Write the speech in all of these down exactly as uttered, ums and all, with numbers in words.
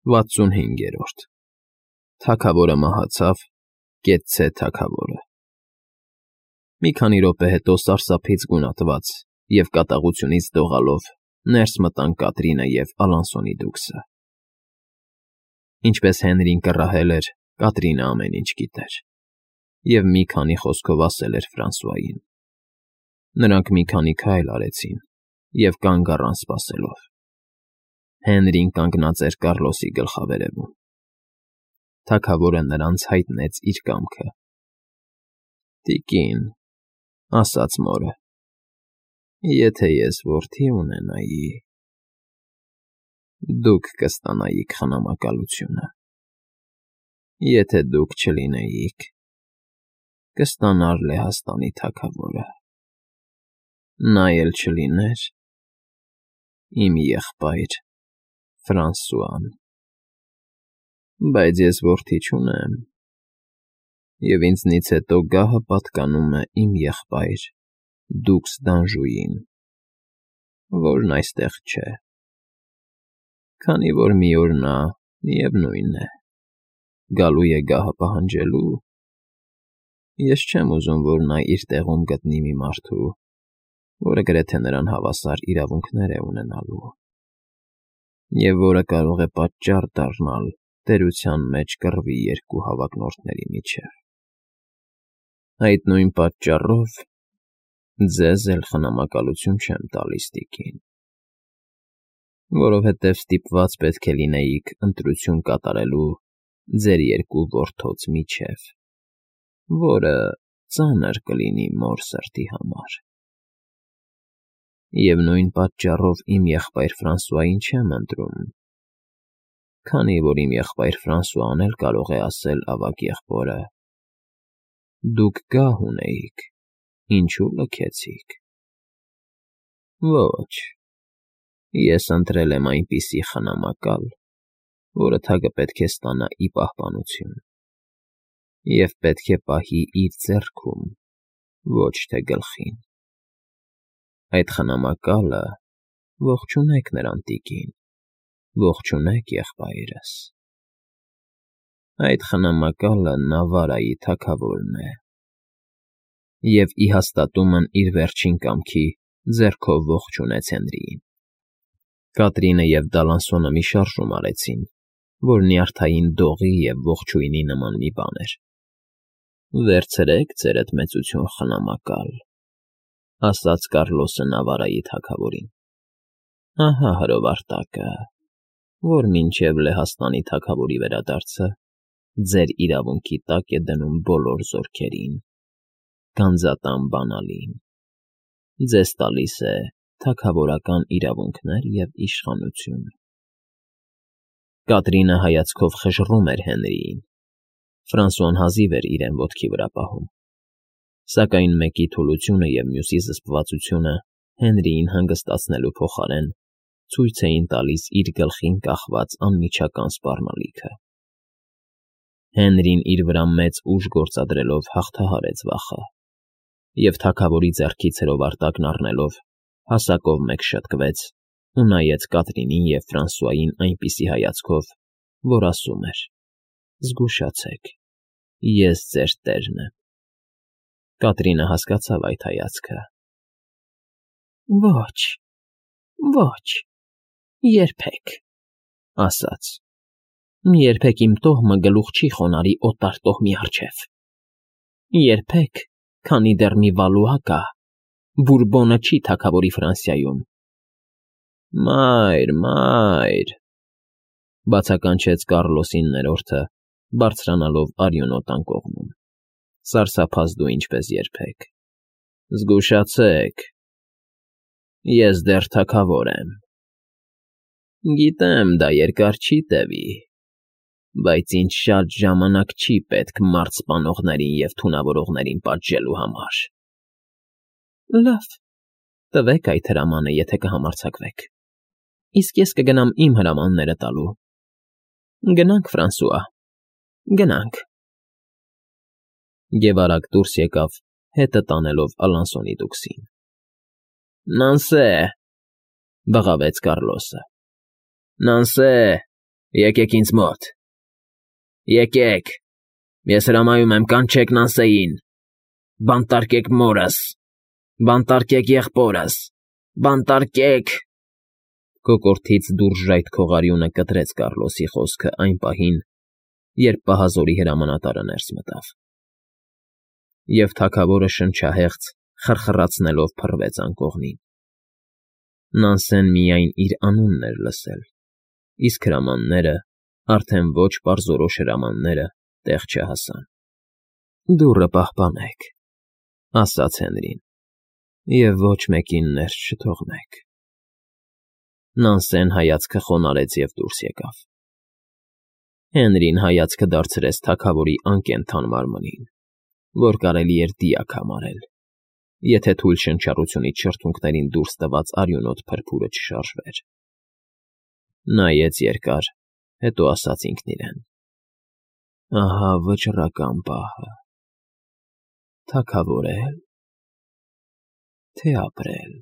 վաթսունհինգերորդ Թագավորը մահացավ, կեցցե թագավորը։ Մի քանի րոպե հետո սարսափից գունատված և կատաղությունից դողալով ներս մտան Կատրինը և Ալանսոնի դուքսը։ Ինչպես Հենրին կռահել էր, Կատրինը ամեն ինչ գիտեր և մի քանի խոսքով ասել էր Ֆրանսուային։ Նրանք մի քանի քայլ արեցին և կանգ առան սպասելով։ Հենրին կանգնած էր Կառլոսի գլխավերևում։ Թագավորը նրանց հայտնեց իր կամքը։ «Տիկին,֊ ասաց մորը,֊ եթե ես որդի ունենայի, դուք կստանայիք խնամակալությունը, եթե դուք չլինեիք, կստանար Լեհաստանի թագավորը, նա էլ չլիներ իմ եղբայր Ֆրանսուան։ Բայց ես որդի չունեմ, և ինձնից հետո գահը պատկանում է իմ եղբայր դուքս Դանժուին, որն այստեղ չէ, քանի որ մի օր նա, միևնույն է, գալու է գահը պահանջելու, ես չեմ ուզում, որ նա իր տեղում գտնի մի մարդու, որը գրեթե նրան հավասար իրավունքներ է ունենալու, և որը կարող է պատճառ դառնալ տերության մեջ կռվի երկու հավակնորդների միջև։ Այդ նույն պատճառով ձեզ էլ խնամակալություն չեմ տալիս, տիկին, որովհետև ստիպված պետք է լինեիք ընտրություն կատարելու ձեր երկու որդոց միջև, որը ծանր կլինի մոր սրտի համար։ Եվ նույն պատճառով իմ եղբայր Ֆրանսուային չեմ ընտրում, քանի որ իմ եղբայր Ֆրանսուան էլ կարող է ասել ավագ եղբորը. «Դուք գահ ունեիք, ինչու՞ լքեցիք»։ Ոչ, ես ընտրել եմ այնպիսի խնամակալ, որը թագը պետք է ստանա ի պահպանություն և պետք է պահի իր ձեռքում, ոչ թե գլխին։ Այդ խնամակալը ողջունեք նրան, տիկին, ողջունեք եղբայրս։ Այդ խնամակալը Նավարայի թագավորն է, և ի հաստատումն իր վերջին կամքի ձեռքով ողջունեց Հենրիին։ Կատրինը և Դալանսոնը մի շարժում արեցին, որ նյարդային դողի և ողջույնի նման մի բան էր։ «Վերցրեք ձերդ մեծություն, խնամակալ,֊ ասաց Կառլոսը Նավարայի թագավորին։ Ահա հրովարտակը, որ մինչև Լեհաստանի թագավորի վերադարձը ձեր իրավունքի տակ է դնում բոլոր զորքերին, գանձատան բանալին, ձեզ տալիս է թագավորական իրավունքներ և իշխանություն»։ Կատրինը հայացքով խժռում էր Հենրիին։ Ֆրանսուան հազիվ էր իրեն ոտքի վրա պահում, սակայն մեկի թուլությունը և մյուսի զսպվածությունը Հենրիին հանգստացնելու փոխարեն ցույց էին տալիս իր գլխին կախված անմիջական սպառնալիքը։ Հենրին իր վրա մեծ ուժ գործադրելով հաղթահարեց վախը և թագավորի ձեռքից հրովարտակն առնելով հասակով մեկ շտկվեց ու նայեց Կատրինին և Ֆրանսուային այնպիսի հայացքով, որ ասում էր. «Զգուշացեք, ես ձեր տերն եմ»։ Կատրինը հասկացավ այդ հայացքը։ «Ոչ, ոչ, երբեք,֊ ասաց,֊ երբեք իմ տոհմը գլուխ չի խոնարհի օտար տոհմի առջև։ Երբեք, քանի դեռ մի Վալուա կա, Բուրբոնը չի թագավորի Ֆրանսիայում»։ «Մայր, մայր,֊ բացականչեց Կառլոսի ներորդը, բարձրանալով արյունոտ անկողնում,֊ սարսափած դու ինչպես երբեք։ Զգուշացեք, ես դեռ թագավոր եմ։ Գիտեմ, դա երկար չի տևի, բայց ինձ շատ ժամանակ չի պետք մարդ սպանողներին և թունավորողներին պատժելու համար»։ «Լավ, տվեք այդ հրամանը, եթե կհամարձակվեք, իսկ ես կգնամ իմ հրամանները տալու։ Գնանք, Ֆրանսուա, գնանք»։ Եվ արագ դուրս եկավ, հետը տանելով Ալանսոնի դուքսին։ «Նանսե!֊ բղավեց Կառլոսը։֊ Նանսե, Եկեք ինձ մոտ։ Եկեք, ես հրամայում եմ կանչեք Նանսեին, բանտարկեք մորս, բանտարկեք եղբորս, բանտարկեք… Կոկորդից դուրժայթ քողարյունը կտրեց Կառլոսի խոսքը այն պահին, երբ պահազորի հրամանատարը ներս մտավ, և թագավորը շնչահեղձ խռխռացնելով փռվեց անկողնին։ Նանսեն միայն իր անունն էր լսել, իսկ հրամանները, արդեն ոչ պարզորոշ հրամանները, տեղ չհասան։ «Դուռը պահպանեք,֊ ասաց Հենրին,֊ և ոչ մեկին ներս չթողնեք»։ Նանսեն հայացքը խոնարհեց և դուրս եկավ։ Հենրին հայացքը դարձրեց թագավորի անկենդան մարմնին, որ կարելի էր դիակ համարել, եթե թույլ շնչառությունից շրթունքներին դուրս տված արյունոտ փրփուրը չշարժվեր։ Նայեց երկար, հետո ասաց ինքն իրեն. «Ահա վճռական պահը… թագավորե՞լ, թե ապրել»։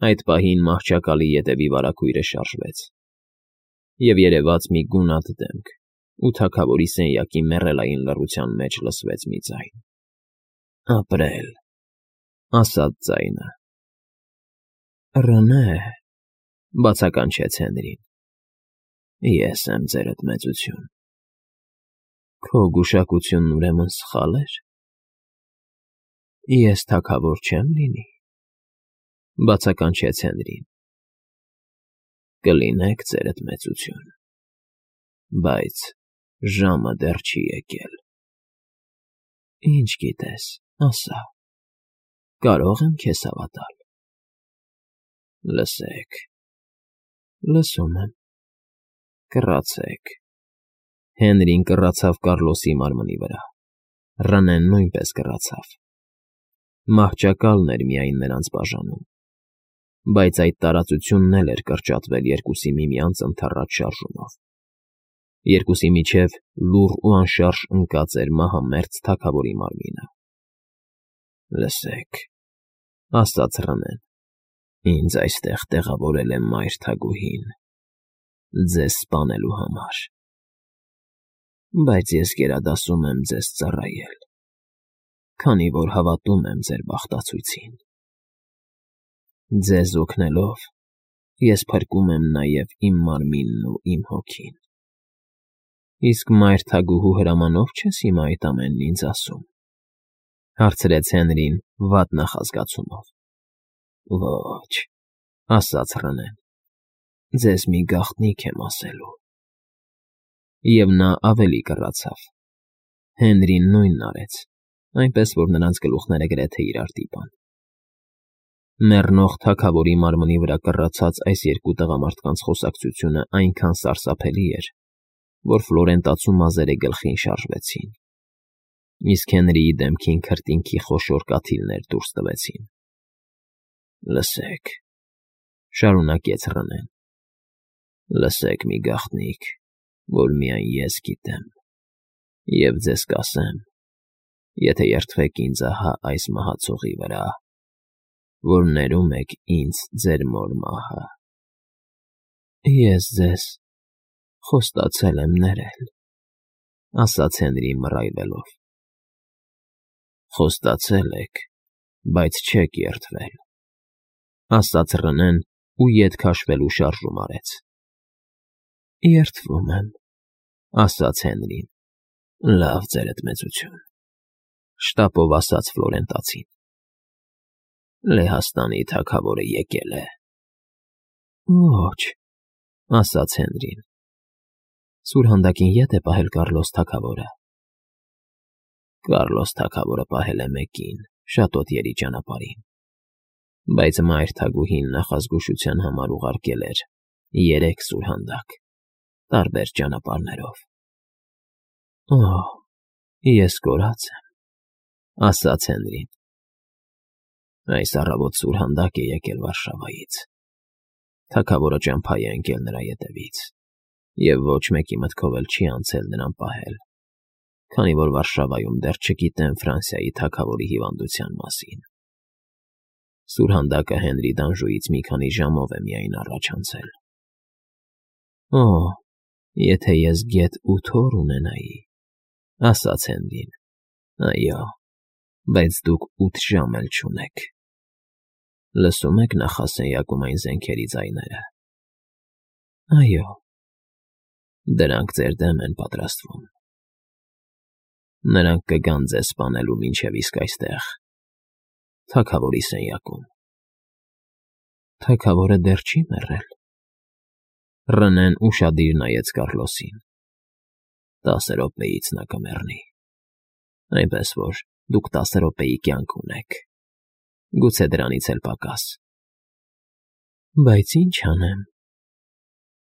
Այդ պահին մահճակալի ետևի վարագույրը շարժվեց, և երևաց մի գունատ դեմք, ու թագավորի սենյակի մեռելային լռության մեջ լսվեց մի ձայն. «Ապրել»,֊ ասաց ձայնը։ «Ռնե՛, բացականչեց Հենրին,֊ ես եմ ձերդ մեծություն»։ «Քո գուշակությունն ուրեմն սխալ էր։ Ես թագավոր չեմ լինի,֊ բացականչեց Հենրին։ «Կլինեք, ձերդ մեծություն, բայց ժամը դեռ չի եկել»։ «Ինչ գիտես, ասա, կարո՞ղ եմ քեզ հավատալ»։ «Լսեք»։ «Լսում եմ»։ «Կռացեք»։ Հենրին կռացավ Կառլոսի մարմնի վրա, Ռնեն նույնպես կռացավ։ Մահճակալն էր միայն նրանց բաժանում, բայց այդ տարածությունն էլ էր կրճատվել երկուսի միմյանց ընդառաջ շարժումով։ Երկուսի միջև լուռ ու անշարժ ընկած էր մահամերձ թագավորի մարմինը։ «Լսեք,֊ ասաց Ռնեն,֊ ինձ այստեղ տեղավորել է մայր թագուհին, ձեզ սպանելու համար, բայց ես գերադասում եմ ձեզ ծառայել, քանի որ հավատում եմ ձեր բախտացույցին։ Ձեզ օգնելով՝ ես փրկում եմ նաև իմ մարմինն ու իմ հոգին։ Իսկ մայր թագուհու հրամանով չես հիմա այդ ամենն ինձ ասում,֊ հարցրեց Հենրին վատ նախազգացումով։ «Ոչ,֊ ասաց Ռնեն,֊ ձեզ մի գաղտնիք եմ ասելու»։ Եվ նա ավելի կռացավ։ Հենրին նույնն արեց, այնպես որ նրանց գլուխները գրեթե իրար դիպան։ Մեռնող թագավորի մարմնի վրա կռացած այս երկու տղամարդկանց խոսակցությունը այնքան սարսափելի էր, որ Ֆլորենտացու մազերը գլխին շարժվեցին, իսկ Հենրիի դեմքին քրտինքի խոշոր կաթիլներ դուրս տվեցին։ «Լսեք,֊ շարունակեց Ռնեն,֊ լսեք մի գաղտնիք, որ միայն ես գիտեմ, և ձեզ կասեմ, եթե երդվեք ինձ ահա այս մահացողի վրա, որ ներում եք ինձ ձեր մոր մահը»։ «Ես ձեզ խոստացել եմ ներել,֊ ասաց Հենրին մռայլվելով։ «Խոստացել եք, բայց չեք երդվել,֊ ասաց Ռնեն ու ետ քաշվելու շարժում արեց։ «Երդվում եմ,֊ ասաց Հենրին։ «Լավ, ձերդ մեծություն,֊ շտապով ասաց Ֆլորենտացին։ Լեհաստանի թագավորը եկել է»։ «Ոչ,֊ ասաց Հենրին։ «Սուրհանդակին ետ է պահել Կառլոս թագավորը»։ «Կառլոս թագավորը պահել է մեկին, շատոտիերի ճանապարհին, բայց մայր թագուհին նախազգուշության համար ուղարկել էր երեք սուրհանդակ, տարբեր ճանապարհներով»։ «Օհ, ես կորած եմ,֊ ասաց Հենրին։ «Այս առավոտ սուրհանդակ է եկել Վարշավայից։ Թագավորը ճամփա է ընկել նրա ետևից, և ոչ մեկի մտքով էլ չի անցել նրան պահել, քանի որ Վարշավայում դեռ չգիտեն Ֆրանսիայի թագավորի հիվանդության մասին։ Սուրհանդակը Հենրի Դանժուից մի քանի ժամով է միայն առաջ անցել»։ Օ, եթե ես գետ ու թոռ ունենայի, ասաց Հենրին, այո, բայց դուք ութ ժամ էլ չունեք։ Լսում եք նախասենյակում այն զենքերի ձայները։ Այո, դրանք ձեր դեմ են պատրաստվում։ Նրանք կգան ձեզ սպանելու մինչև իսկ այստեղ, թագավորի սենյակում։ Թագավորը դեռ չի մեռել։ Ռնեն ուշադիր նայեց Կառլոսին։ Տասը րոպեից նա կմեռնի, այնպես որ դուք տասը րոպեի կյանք ունեք, գուցե դրանից էլ պակաս։ Բայց ինչ անեմ։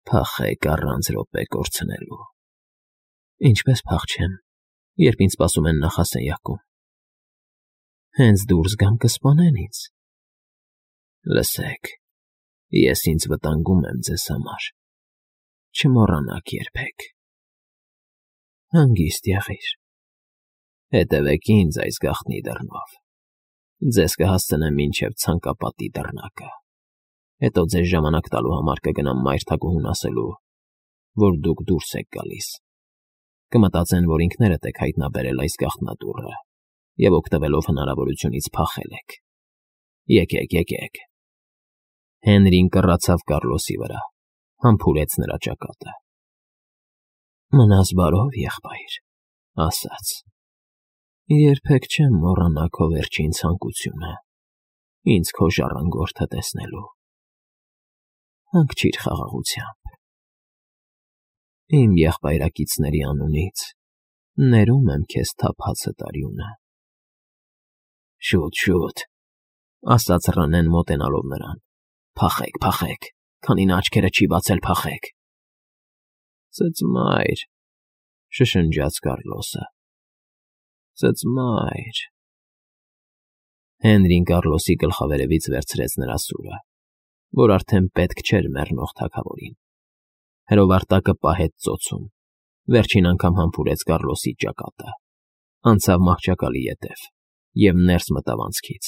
Փախեք առանց րոպե կորցնելու։ Ինչպես փախչեմ, երբ ինձ սպասում են նախասենյակում։ Հենց դուրս գամ կսպանեն ինձ։ Լսեք, ես ինձ վտանգում եմ ձեզ համար, չմոռանաք երբեք։ Հանգիստ եղիր։ Հետևեք ինձ այս գաղտնի դռնով։ Ձեզ կհասցնեմ մինչև ցանկապատի դռնակը։ Հետո ձեզ ժամանակ տալու համար կգնամ մայր թագուհուն ասելու, որ դուք դուրս եք գալիս։ Կմտածեն, որ ինքներդ եք հայտնաբերել այս գաղտնատուռը և օգտվելով հնարավորությունից փախել եք։ Եկեք, եկեք։ Հենրին կռացավ Կառլոսի վրա, համբուրեց նրա ճակատը։ Մնաս բարով, եղբայր, ասաց։ Երբեք չեմ մոռանա քո վերջին ցանկությունը, ինձ քո ժառանգորդը տեսնելու։ Հանգչիր խաղաղությամբ։ Իմ եղբայրակիցների անունից ներում եմ քեզ թափածը տարյունը։ Շուտ, շուտ, ասաց Ռնեն մոտենալով նրան։ Փախեք, փախեք, քանի նա աչքերը չի բացել, փախեք։ Ծծմայր, շշնջաց Կառլոսը։ Ծծմայր։ Հենրին Կառլոսի գլխավերևից վերցրեց նրա սուրը, որ արդեն պետք չէր մեռնող թագավորին։ Հրովարտակը պահեց ծոցում, վերջին անգամ համբուրեց Կառլոսի ճակատը, անցավ մահճակալի ետև և ներս մտավ անցքից,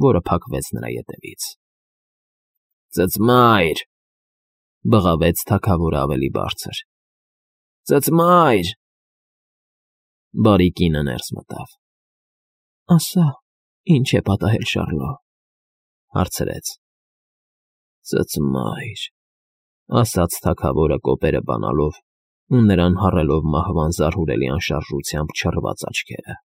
որը փակվեց նրա ետևից։ Ծծմայր, բղավեց թագավորը ավելի բարձր։ Ծծմայր։ Բարի կինը ներս մտավ։ Ասա, ինչ է պատահել Շառլո, հարցրեց։ Ծծմայր, ասաց թագավորը կոպերը բանալով ու նրան հառելով մահվան զարհուրելի անշարժությամբ չռված աչքերը։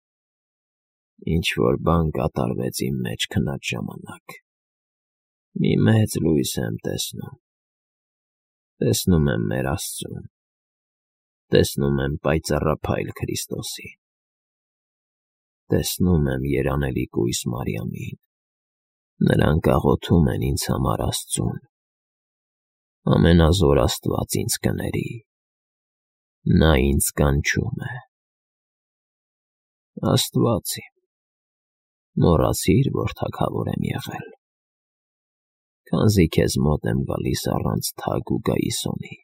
Ինչ-որ բան կատարվեց իմ մեջ քնած ժամանակ։ Մի մեծ լույս եմ տեսնում։ Տեսնում եմ մեր Աստծուն։ Տեսնում եմ պայծառափայլ Քրիստոսին։ Տեսնում եմ երանելի կույս Մարիամին։ Նրանք աղոթում են ինձ համար Աստծուն։ Ամենազոր Աստված ինձ կների։ Նա ինձ կանչում է։ Աստված իմ, մոռացիր, որ թագավոր եմ եղել։ Քանզի քեզ մոտ եմ գալիս առանց թագ ու գայիսոնի։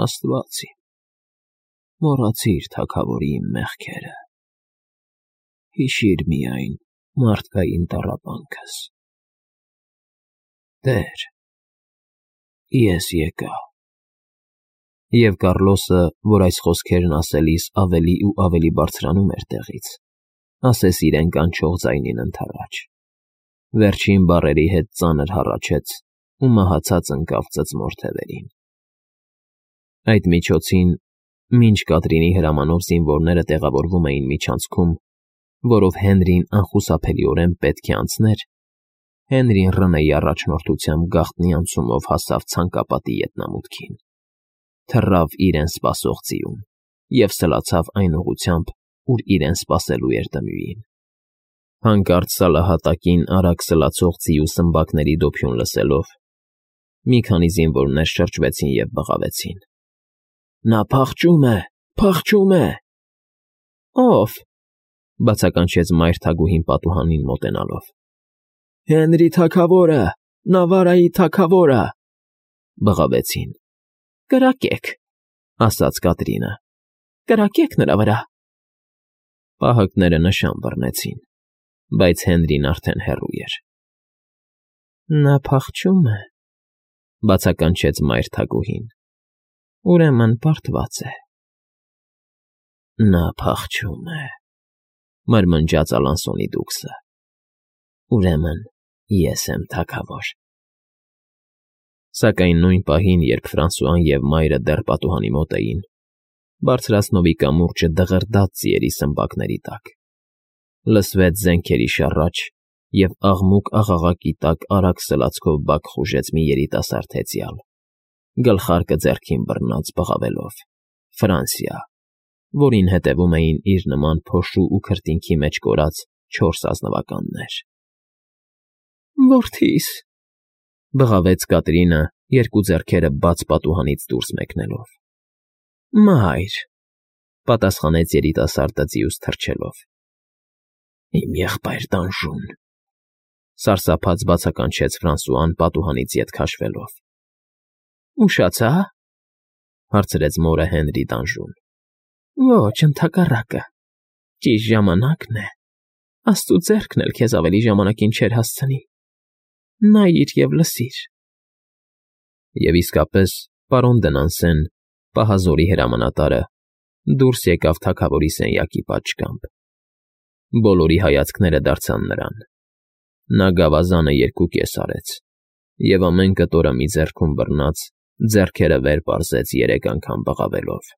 Աստված իմ, մոռացիր թագավորի իմ մեղքերը։ Հիշիր միայն մարդկային տառապանքս։ Տեր, ես եկա։ Եվ Կառլոսը, որ այս խոսքերն ասելիս ավելի ու ավելի բարձրանում էր տեղից, ասես իրեն կանչող ձայնին ընդառաջ։ Վերջին բառերի հետ ծանր հառաչեց ու մահացած ընկավ ծծմոր թևերին։ Այդ միջոցին, մինչ Կատրինի հրամանով զինվորները տեղավորվում էին միջանցքում, որով Հենրին անխուսափելիորեն պետք է անցներ, Հենրին Ռնեի առաջնորդությամբ գաղտնի անցումով հասավ ցանկապատի ետնամուտքին, թռավ իրեն սպասող ձիուն և սլացավ այն ուղղությամբ, ուր իրեն սպասելու էր Տմյուին։ Հանկարծ սալահատակին արագ սլացող ձիու սմբակների դոփյուն լսելով, մի քանի զինվորներ շրջվեցին և բղավեցին. Նա փախչում է, փախչում է։ Ո՞վ, բացականչեց մայր թագուհին պատուհանին մոտենալով։ Հենրի թագավորը, Նավարայի թագավորը, բղավեցին։ Կրակեք, ասաց Կատրինը, կրակեք նրա վրա։ Պահակները նշան բռնեցին, բայց Հենրին արդեն հեռու էր։ Նա փախչում է, Բացականչեց մայր թագուհին։ Ուրեմն պարտված է։ Նա փախչում է, մրմնջաց Ալանսոնի դուքսը։ Ուրեմն ես եմ թագավոր։ Սակայն նույն պահին, երբ Ֆրանսուան և մայրը դեռ պատուհանի մոտ էին, բարձրացնովի կամուրջը դղրդաց ձիերի սմբակների տակ, լսվեց զենքերի շառաչ, և աղմուկ֊աղաղակի տակ արագ սլացքով բակ խուժեց մի երիտասարդ հեծյալ, գլխարկը ձեռքին բռնած բղավելով. Ֆրանսիա, որին հետևում էին իր նման փոշու ու քրտինքի մեջ կորած չորս ազնվականներ։ Որդի՛ս,֊ բղավեց Կատրինը, երկու ձեռքերը բաց պատուհանից դուրս մեկնելով։ Մայր,֊ պատասխանեց երիտասարդը ձիուց թռչելով։ Իմ եղբայր տանժուն,֊ սարսափած բացականչեց Ֆրանսուան պատուհանից ետ քաշվելով։ Ուշացա՞, հարցրեց մորը Հենրի տանժուն։ Ոչ, ընդհակառակը, ճիշտ ժամանակն է, աստծու ձեռքն էլ քեզ ավելի ժամանակին չէր հասցնի, նայիր և լսիր։ Եվ իսկապես պարոն Դնանսեն, պահազորի հրամանատարը, դուրս եկավ թագավորի սենյակի պատշգամբ։ Բոլորի հայացքները դարձան նրան։ Նա գավազանը երկուկես արեց և ամեն կտորը մի ձեռքում բռնած, ձեռքերը վեր պարզեց երեք անգամ բղավելով.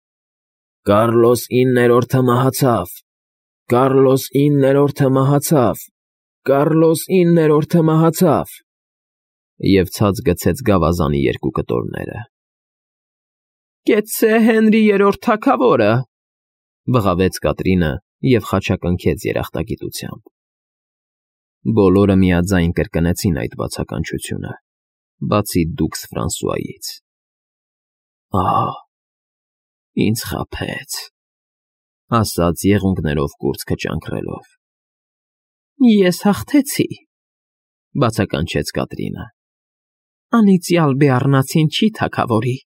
Կառլոս իններորդը մահացավ, Կառլոս իններորդը մահացավ, Կառլոս իններորդը մահացավ… Եվ ցած գցեց գավազանի երկու կտորները։ Կեցցե Հենրի երրորդ թագավորը…֊ բղավեց Կատրինը և խաչակնքեց երախտագիտությամբ։ Բոլորը միաձայն կրկնեցին այդ բացականչությունը, բացի դուքս Ֆրանսուայից։ Ահ, ինձ խաբեց,֊ ասաց եղունգներով կուրծքը ճանկռելով։ Ես հաղթեցի,֊ բացականչեց Կատրինը։ Անիծյալ բեառնացին չի թագավորի։